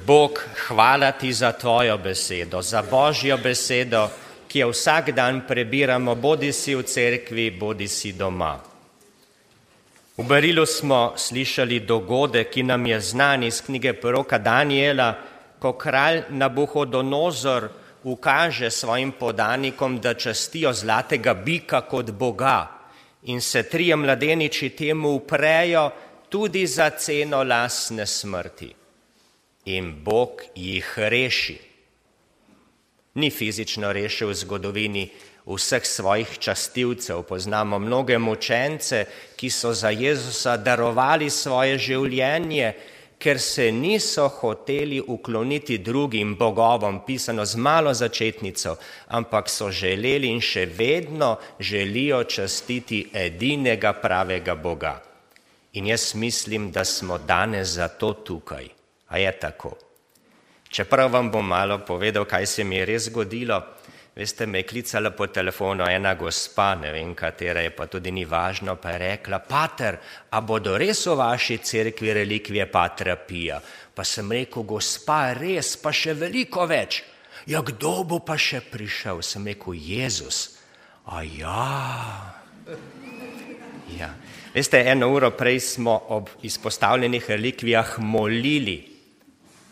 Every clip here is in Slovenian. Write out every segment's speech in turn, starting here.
Bog, hvala ti za tvojo besedo, za Božjo besedo, ki jo vsak dan prebiramo, bodi si v cerkvi, bodi si doma. V Berilu smo slišali dogodek, ki nam je znan iz knjige proroka Daniela, ko kralj Nabuhodonozor ukaže svojim podanikom, da častijo zlatega bika kot Boga in se trije mladeniči temu uprejo tudi za ceno lastne smrti. In Bog jih reši. Ni fizično rešil v zgodovini vseh svojih častilcev. Poznamo mnoge mučence, ki so za Jezusa darovali svoje življenje, ker se niso hoteli ukloniti drugim bogovom, pisano z malo začetnico, ampak so želeli in še vedno želijo častiti edinega pravega Boga. In jaz mislim, da smo danes zato tukaj. A je tako? Čeprav vam bom malo povedal, kaj se mi je res zgodilo, veste, me je klicala po telefonu ena gospa, ne vem katera je, pa tudi ni važno, pa je rekla, pater, a bodo res v vaši cerkvi relikvije patra Pija? Pa sem rekel, gospa, res, pa še veliko več. Ja, kdo bo pa še prišel? Sem rekel, Jezus. A ja. Veste, 1 uro prej smo ob izpostavljenih relikvijah molili,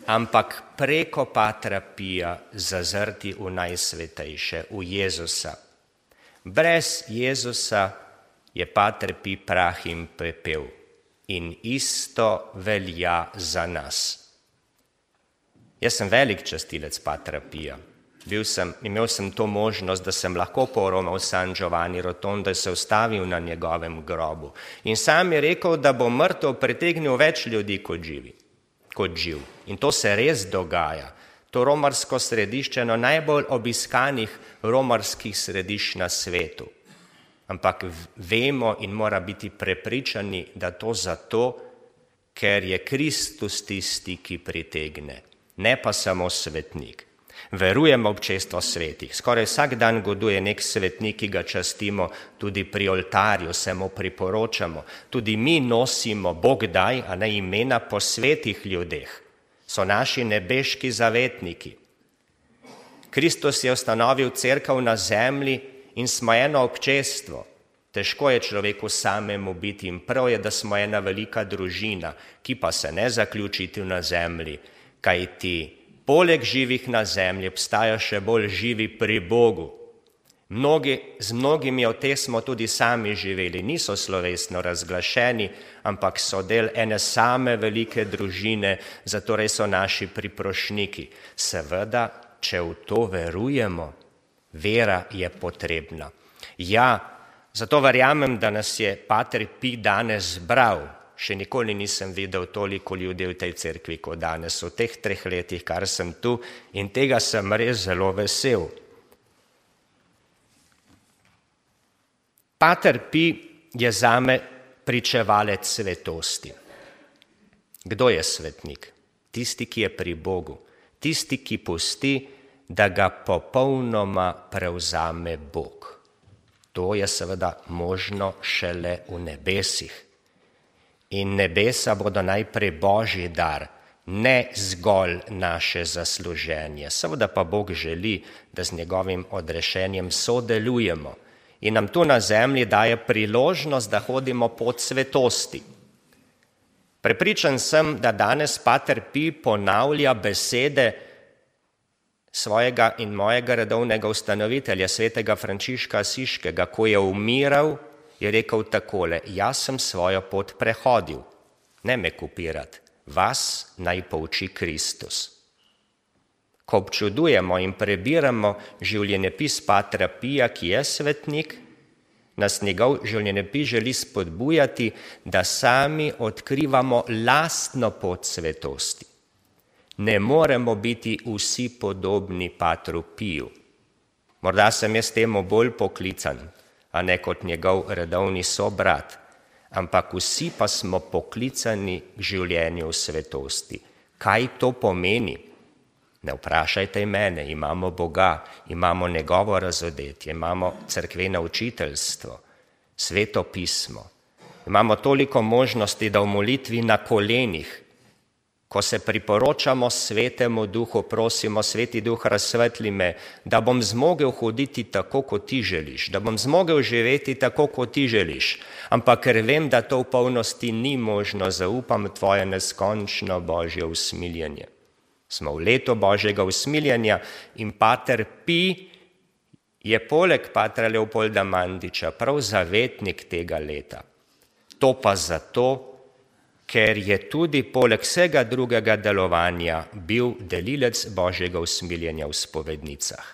ampak preko patra Pija zazrti v najsvetejše, v Jezusa. Brez Jezusa je pater Pij prah in pepel in isto velja za nas. Jaz sem velik častilec patra Pija. Imel sem to možnost, da sem lahko poromal San Giovanni Rotondo in se ustavil na njegovem grobu. In sam je rekel, da bo mrtev pritegnil več ljudi kot živ. In to se res dogaja. To romarsko središče je eno najbolj obiskanih romarskih središč na svetu. Ampak vemo in mora biti prepričani, da to zato, ker je Kristus tisti, ki pritegne, ne pa samo svetnik. Verujemo v občestvo svetih. Skoraj vsak dan goduje nek svetnik, ki ga častimo tudi pri oltarju, se mu priporočamo. Tudi mi nosimo Bog daj, a ne imena po svetih ljudeh. So naši nebeški zavetniki. Kristus je ustanovil cerkev na zemlji in smo eno občestvo. Težko je človeku samemu biti in prav je, da smo ena velika družina, ki pa se ne zaključi tu na zemlji, kajti poleg živih na zemlji obstajajo še bolj živi pri Bogu. Z mnogimi od teh smo tudi sami živeli, niso slovesno razglašeni, ampak so del ene same velike družine, zatorej so naši priprošniki. Seveda, če v to verujemo, vera je potrebna. Ja, zato verjamem, da nas je pater Pij danes zbral. Še nikoli nisem videl toliko ljudi v tej cerkvi kot danes, v teh 3 letih, kar sem tu, in tega sem res zelo vesel. Pater Pij je zame pričevalec svetosti. Kdo je svetnik? Tisti, ki je pri Bogu. Tisti, ki pusti, da ga popolnoma prevzame Bog. To je seveda možno šele v nebesih. In nebesa bodo najprej Božji dar, ne zgolj naše zasluženje. Seveda pa Bog želi, da z njegovim odrešenjem sodelujemo in nam tu na zemlji daje priložnost, da hodimo pot svetosti. Prepričan sem, da danes pater Pij ponavlja besede svojega in mojega redovnega ustanovitelja, svetega Frančiška Asiškega, ko je umiral, je rekel takole, jaz sem svojo pot prehodil, ne me kopirati, vas naj pouči Kristus. Ko občudujemo in prebiramo življenjepis patra Pija, ki je svetnik, nas njegov življenjepis želi spodbujati, da sami odkrivamo lastno pot svetosti. Ne moremo biti vsi podobni patru Piju. Morda sem jaz temu bolj poklican, a ne kot njegov redovni sobrat, ampak vsi pa smo poklicani k življenju v svetosti. Kaj to pomeni? Ne vprašajte mene, imamo Boga, imamo njegovo razodetje, imamo cerkveno učiteljstvo, sveto pismo. Imamo toliko možnosti, da v molitvi na kolenih, ko se priporočamo Svetemu Duhu, prosimo, Sveti Duh, razsvetli me, da bom zmogel hoditi tako, kot ti želiš, da bom zmogel živeti tako, kot ti želiš, ampak ker vem, da to v polnosti ni možno, zaupam tvoje neskončno Božje usmiljenje. Smo v letu Božjega usmiljenja in pater Pij je poleg patra Leopolda Mandiča prav zavetnik tega leta. To pa zato, ker je tudi poleg vsega drugega delovanja bil delilec Božjega usmiljenja v spovednicah.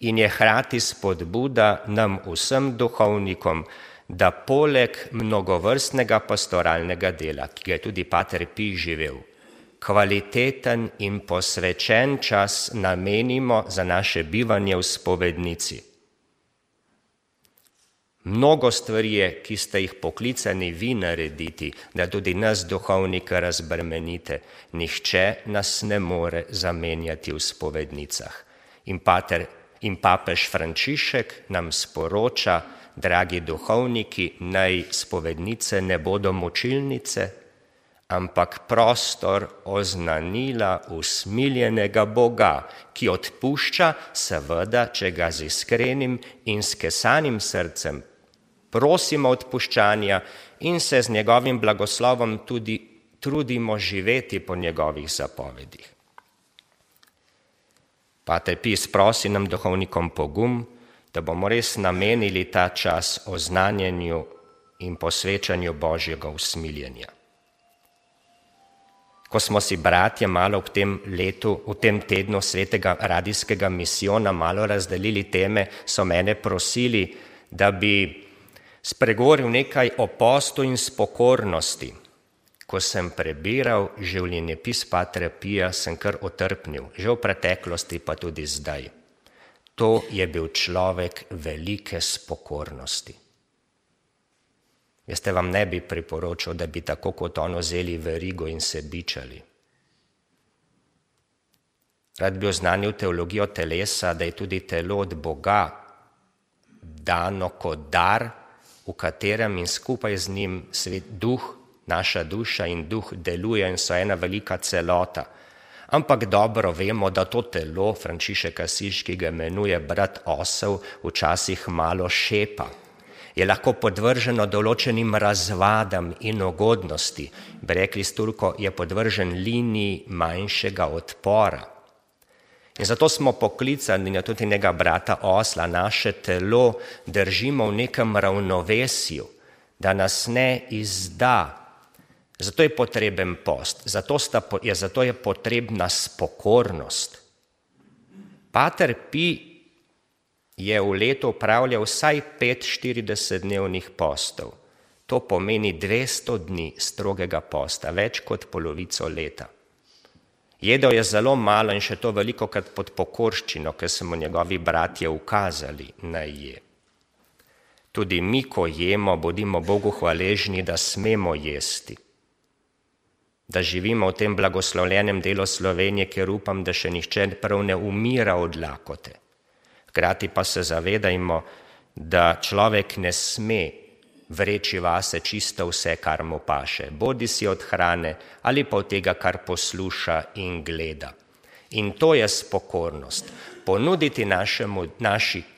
In je hkrati spodbuda nam vsem duhovnikom, da poleg mnogovrstnega pastoralnega dela, ki ga je tudi pater Pij živel, kvaliteten in posvečen čas namenimo za naše bivanje v spovednici. Mnogo stvari je, ki ste jih poklicani vi narediti, da tudi nas duhovnika razbremenite. Nihče nas ne more zamenjati v spovednicah. In papež Frančišek nam sporoča, dragi duhovniki, naj spovednice ne bodo mučilnice, ampak prostor oznanila usmiljenega Boga, ki odpušča, seveda, če ga z iskrenim in skesanim srcem prosimo odpuščanja in se z njegovim blagoslovom tudi trudimo živeti po njegovih zapovedih. Pater Pij sprosi nam duhovnikom pogum, da bomo res namenili ta čas oznanjanju in posvečanju Božjega usmiljenja. Ko smo si bratje malo v tem letu, v tem tednu svetega radijskega misijona malo razdelili teme, so mene prosili, da bi spregovoril nekaj o postu in spokornosti. Ko sem prebiral življenjepis patra Pija, sem kar otrpnil, že v preteklosti pa tudi zdaj. To je bil človek velike spokornosti. Jaz te vam ne bi priporočil, da bi tako kot on vzeli verigo in se bičali. Rad bi oznanil teologijo telesa, da je tudi telo od Boga dano kot dar, v katerem in skupaj z njim svet duh, naša duša in duh deluje in so ena velika celota. Ampak dobro vemo, da to telo, Frančišek Asiški ga imenuje brat osel, včasih malo šepa. Je lahko podvrženo določenim razvadam in ugodnosti. Bi rekli s Turko, je podvržen liniji manjšega odpora. In zato smo poklicani na tudi njega brata osla, naše telo držimo v nekem ravnovesju, da nas ne izda. Zato je potreben post, zato je potrebna spokornost. Pater Pij je v letu opravljal vsaj 5 40-dnevnih postov. To pomeni 200 dni strogega posta, več kot polovico leta. Jedel je zelo malo in še to velikokrat pod pokorščino, ker so mu njegovi bratje ukazali, naj je. Tudi mi, ko jemo, bodimo Bogu hvaležni, da smemo jesti. Da živimo v tem blagoslovljenem delu Slovenije, kjer upam, da še nihče prav ne umira od lakote. Hkrati pa se zavedajmo, da človek ne sme vreči vase čisto vse, kar mu paše, bodi si od hrane ali pa od tega, kar posluša in gleda. In to je spokornost. Ponuditi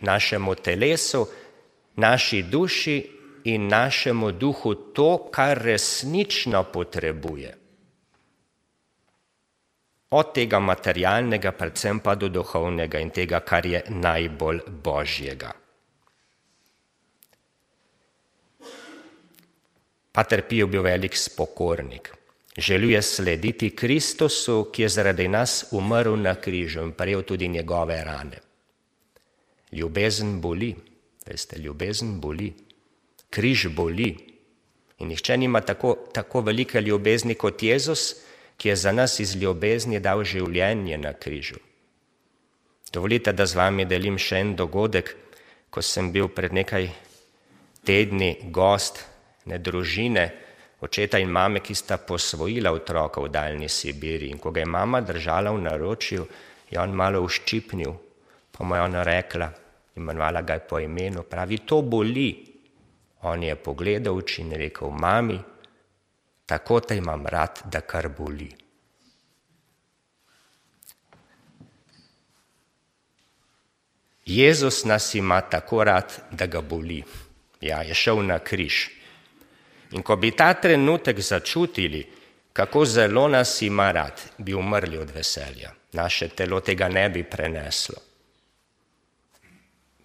našemu telesu, naši duši in našemu duhu to, kar resnično potrebuje. Od tega materialnega, predvsem pa do duhovnega in tega, kar je najbolj Božjega. Pater Pij je bil velik spokornik. Želel je slediti Kristusu, ki je zaradi nas umrl na križu in prejel tudi njegove rane. Ljubezen boli, veste, ljubezen boli. Križ boli. In nihče nima tako velike ljubezni kot Jezus, ki je za nas iz ljubezni dal življenje na križu. Dovolite, da z vami delim še en dogodek, ko sem bil pred nekaj tedni gost ne družine, očeta in mame, ki sta posvojila otroka v daljni Sibiri. In ko ga je mama držala v naročju, je on malo uščipnil, pa mu je ona rekla, imenovala ga je po imenu, pravi, to boli. On je pogledal oči in rekel, mami, tako te imam rad, da kar boli. Jezus nas ima tako rad, da ga boli. Ja, je šel na križ. In ko bi ta trenutek začutili, kako zelo nas ima rad, bi umrli od veselja. Naše telo tega ne bi preneslo.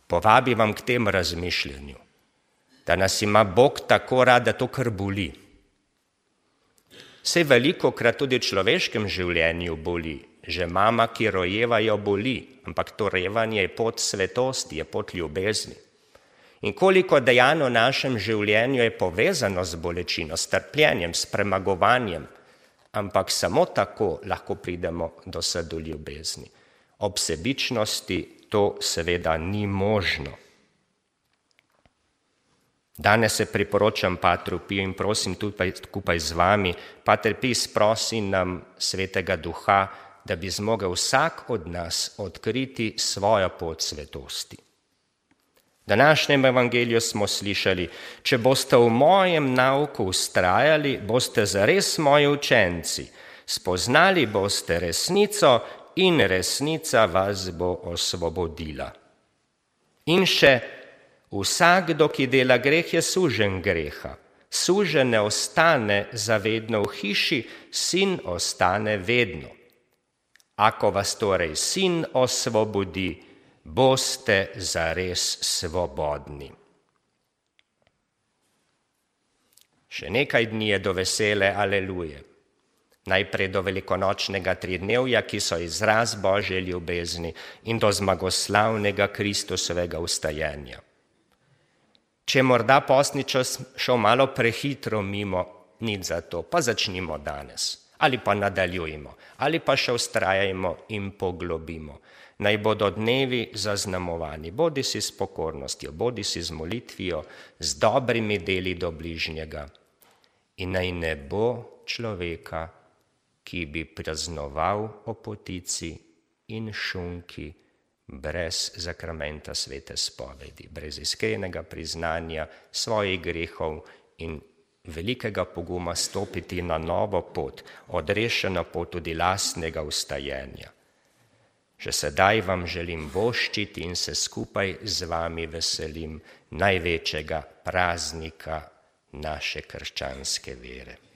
Povabi vam k tem razmišljanju, da nas ima Bog tako rad, da to kar boli. Saj velikokrat tudi v človeškem življenju boli. Že mama, ki rojeva, jo boli, ampak to revanje je pot svetosti, je pot ljubezni. In koliko dejanj v našem življenju je povezano z bolečino, s trpljenjem, s premagovanjem, ampak samo tako lahko pridemo do srdu ljubezni. Ob sebičnosti to seveda ni možno. Danes se priporočam Patru Piju in prosim tudi skupaj z vami, Pater Pij, prosi nam Svetega Duha, da bi zmogel vsak od nas odkriti svojo pot svetosti. V današnjem evangeliju smo slišali, če boste v mojem nauku vztrajali, boste zares moji učenci, spoznali boste resnico in resnica vas bo osvobodila. In še, vsakdo, ki dela greh, je suženj greha. Suženj ne ostane zavedno v hiši, sin ostane vedno. Ako vas torej sin osvobodi, boste zares svobodni. Še nekaj dni je do vesele aleluje. Najprej do velikonočnega tridnevja, ki so izraz Božje ljubezni, in do zmagoslavnega Kristusovega vstajenja. Če je morda postni čas šel malo prehitro mimo, nič za to, pa začnimo danes. Ali pa nadaljujmo, ali pa še vztrajajmo in poglobimo. Naj bodo dnevi zaznamovani, bodi si s pokornostjo, bodi si z molitvijo, z dobrimi deli do bližnjega. In naj ne bo človeka, ki bi praznoval o potici in šunki brez zakramenta svete spovedi, brez iskrenega priznanja svojih grehov in velikega poguma stopiti na novo pot, odrešeno pot tudi lastnega vstajenja. Že sedaj vam želim voščiti in se skupaj z vami veselim največjega praznika naše krščanske vere.